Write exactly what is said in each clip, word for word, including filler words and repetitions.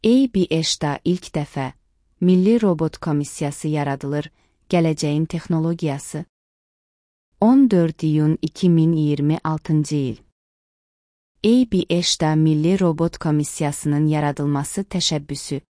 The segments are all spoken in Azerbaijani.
A B H-da ilk dəfə Milli Robot Komissiyası yaradılır, gələcəyin texnologiyası. on dörd iyun iki min iyirmi altıncı il. A B H-da Milli Robot Komissiyasının yaradılması təşəbbüsü.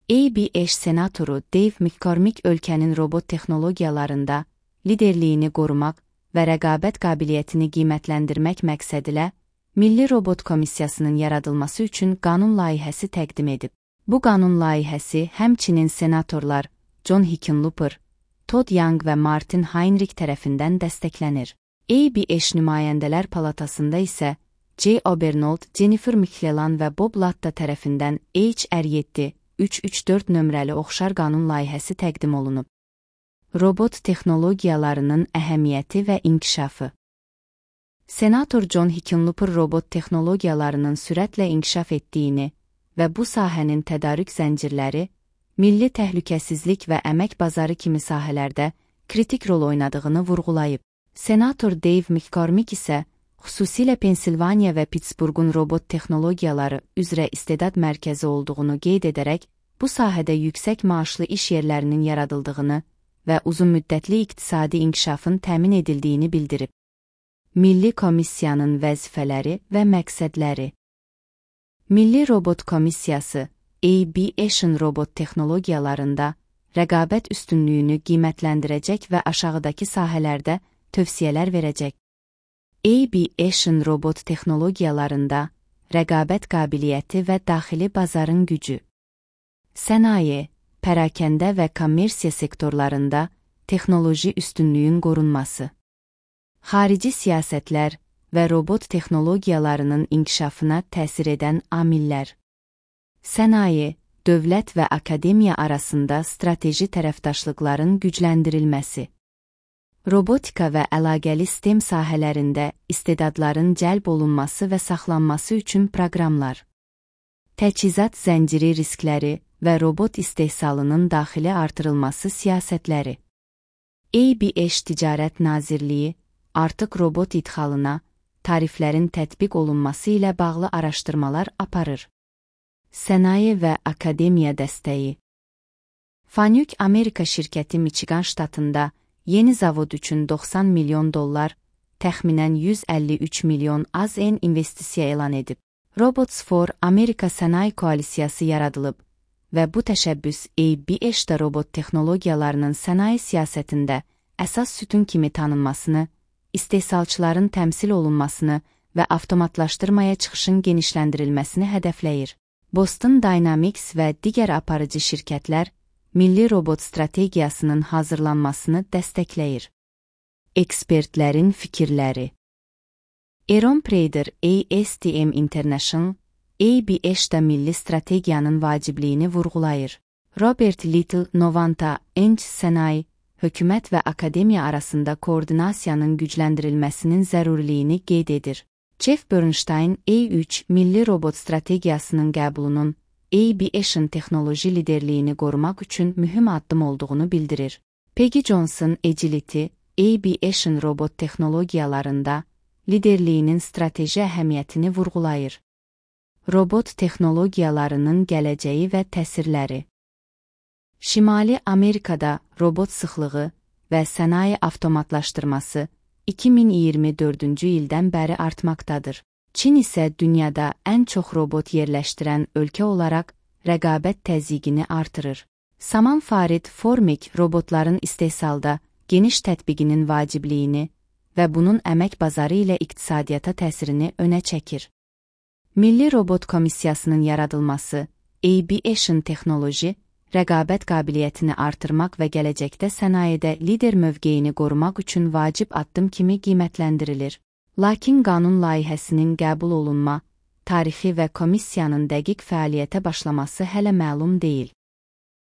A B H senatoru Dave McCormick ölkənin robot texnologiyalarında liderliyini qorumaq və rəqabət qabiliyyətini qiymətləndirmək məqsədilə Milli Robot Komissiyasının yaradılması üçün qanun layihəsi təqdim edib. Bu qanun layihəsi həmçinin senatorlar John Hickenlooper, Todd Young və Martin Heinrich tərəfindən dəstəklənir. A B H Nümayəndələr Palatasında isə Jay Obernold, Jennifer McClellan və Bob Latta tərəfindən H R yeddi üç üç dörd nömrəli oxşar qanun layihəsi təqdim olunub. Robot texnologiyalarının əhəmiyyəti və inkişafı. Senator John Hickenlooper robot texnologiyalarının sürətlə inkişaf etdiyini və bu sahənin tədarük zəncirləri, milli təhlükəsizlik və əmək bazarı kimi sahələrdə kritik rol oynadığını vurğulayıb. Senator Dave McCormick isə xüsusilə Pensilvaniya və Pittsburghun robot texnologiyaları üzrə istedad mərkəzi olduğunu qeyd edərək, bu sahədə yüksək maaşlı iş yerlərinin yaradıldığını və uzunmüddətli iqtisadi inkişafın təmin edildiyini bildirib. Milli Komissiyanın vəzifələri və məqsədləri. Milli Robot Komissiyası, A B H-ın robot texnologiyalarında rəqabət üstünlüyünü qiymətləndirəcək və aşağıdakı sahələrdə tövsiyələr verəcək. A B H-ın robot texnologiyalarında rəqabət qabiliyyəti və daxili bazarın gücü. Sənaye, pərakəndə və kommersiya sektorlarında texnoloji üstünlüyün qorunması. Xarici siyasətlər və robot texnologiyalarının inkişafına təsir edən amillər. Sənaye, dövlət və akademiya arasında strateji tərəfdaşlıqların gücləndirilməsi. Robotika və əlaqəli STEM sahələrində istedadların cəlb olunması və saxlanması üçün proqramlar. Təchizat zənciri riskləri və robot istehsalının daxili artırılması siyasətləri. A B H Ticarət Nazirliyi artıq robot idxalına, tariflərin tətbiq olunması ilə bağlı araşdırmalar aparır. Sənaye və akademiya dəstəyi. Fanuc Amerika şirkəti Michigan ştatında yeni zavod üçün doxsan milyon dollar, təxminən yüz əlli üç milyon A Z N investisiya elan edib. Robots for Amerika Sənaye Koalisiyası yaradılıb və bu təşəbbüs A B H-da robot texnologiyalarının sənaye siyasətində əsas sütun kimi tanınmasını, istehsalçıların təmsil olunmasını və avtomatlaşdırmaya çıxışın genişləndirilməsini hədəfləyir. Boston Dynamics və digər aparıcı şirkətlər milli robot strategiyasının hazırlanmasını dəstəkləyir. Ekspertlərin fikirləri. Aaron Prader, A S T M International, A B H-da milli strategiyanın vacibliyini vurğulayır. Robert Little, Novanta, Enc Sənaye, hökumət və akademiya arasında koordinasiyanın gücləndirilməsinin zəruriliyini qeyd edir. Jeff Bernstein, A üç milli robot strategiyasının qəbulunun A B H-ın texnoloji liderliyini qorumaq üçün mühüm addım olduğunu bildirir. Peggy Johnson, Agility, A B H-ın robot texnologiyalarında liderliyinin strateji əhəmiyyətini vurğulayır. Robot texnologiyalarının gələcəyi və təsirləri. Şimali Amerikada robot sıxlığı və sənaye avtomatlaşdırması iki min iyirmi dördüncü ildən bəri artmaqdadır. Çin isə dünyada ən çox robot yerləşdirən ölkə olaraq rəqabət təzyiqini artırır. Saman Farid Formik robotların istehsalda geniş tətbiqinin vacibliyini və bunun əmək bazarı ilə iqtisadiyyata təsirini önə çəkir. Milli Robot Komissiyasının yaradılması, A B H-ın texnoloji, rəqabət qabiliyyətini artırmaq və gələcəkdə sənayedə lider mövqeyini qorumaq üçün vacib addım kimi qiymətləndirilir. Lakin qanun layihəsinin qəbul olunma, tarixi və komissiyanın dəqiq fəaliyyətə başlaması hələ məlum deyil.